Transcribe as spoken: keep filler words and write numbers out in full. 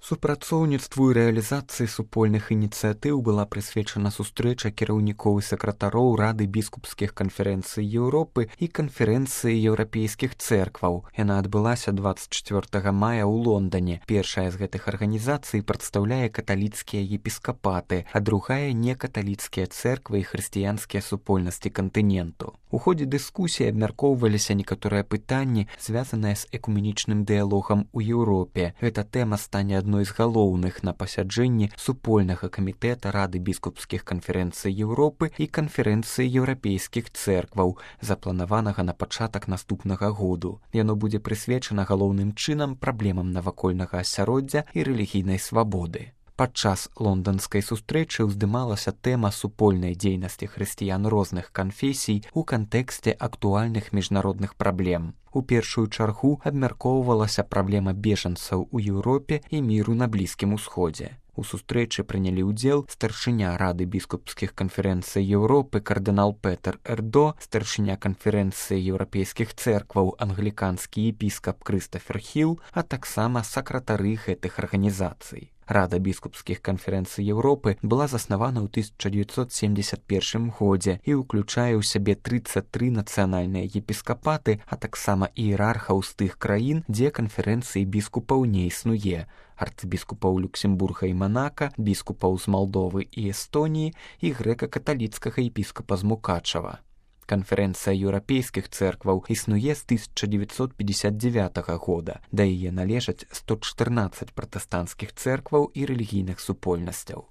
Супрацоўніцтву і рэалізацыі супольных ініцыятыў была прысвечана сустрэча кіраўнікоў і сакратароў Рады біскупскіх канферэнцый Еўропы і канферэнцыі еўрапейскіх цэркваў. Яна адбылася дваццаць чацвёртага мая ў Лондане. Першая з гэтых арганізацый прадстаўляе каталіцкія епіскапаты, а другая некаталіцкія цэрквы і хрысціянскія супольнасці кантыненту. У ходзе дыскусіі абмяркоўваліся некаторыя пытанні, звязаныя з экуменічным дыялогам у Еўропе. Гэта тэма стане адной з галоўных на пасяджэнні супольнага камітэта Рады біскупскіх канферэнцый Еўропы і канферэнцыі еўрапейскіх цэркваў, запланаванага на пачатак наступнага году. Яно будзе прысвечана галоўным чынам праблемам навакольнага асяроддзя і рэлігійнай свабоды. Падчас лонданскай сустрэчы ўздымалася тэма супольнай дзейнасці хрысціян розных канфесій у кантэксце актуальных міжнародных праблем. У першую чаргу абмяркоўвалася праблема бежанцаў у Еўропе і міру на Блізкім Усходзе. У сустрэчы прынялі ўдзел старшыня Рады біскупскіх канферэнцый Еўропы кардынал Петер Эрдо, старшыня канферэнцыі еўрапейскіх цэркваў англіканскі епіскап Крыстафер Хіл, а таксама сакратары гэтых арганізацый. Рада біскупскіх канферэнцый Еўропы была заснавана ў тысяча дзевяцьсот семьдесят першым годзе і ўключае ў сябе трыццаць тры нацыянальныя епіскапаты, а таксама іерархаў з тых краін, дзе канферэнцыі біскупаў не існуе, арцыбіскупаў Люксембурга і Манака, біскупаў з Малдовы і Эстоніі і грэка-каталіцкага епіскапа з Мукачава. Канферэнцыя еўрапейскіх цэркваў існуе з тысяча дзевяцьсот пятьдесят девятага года, да яе належаць сто чатырнаццаць пратэстанцкіх цэркваў і рэлігійных супольнасцяў.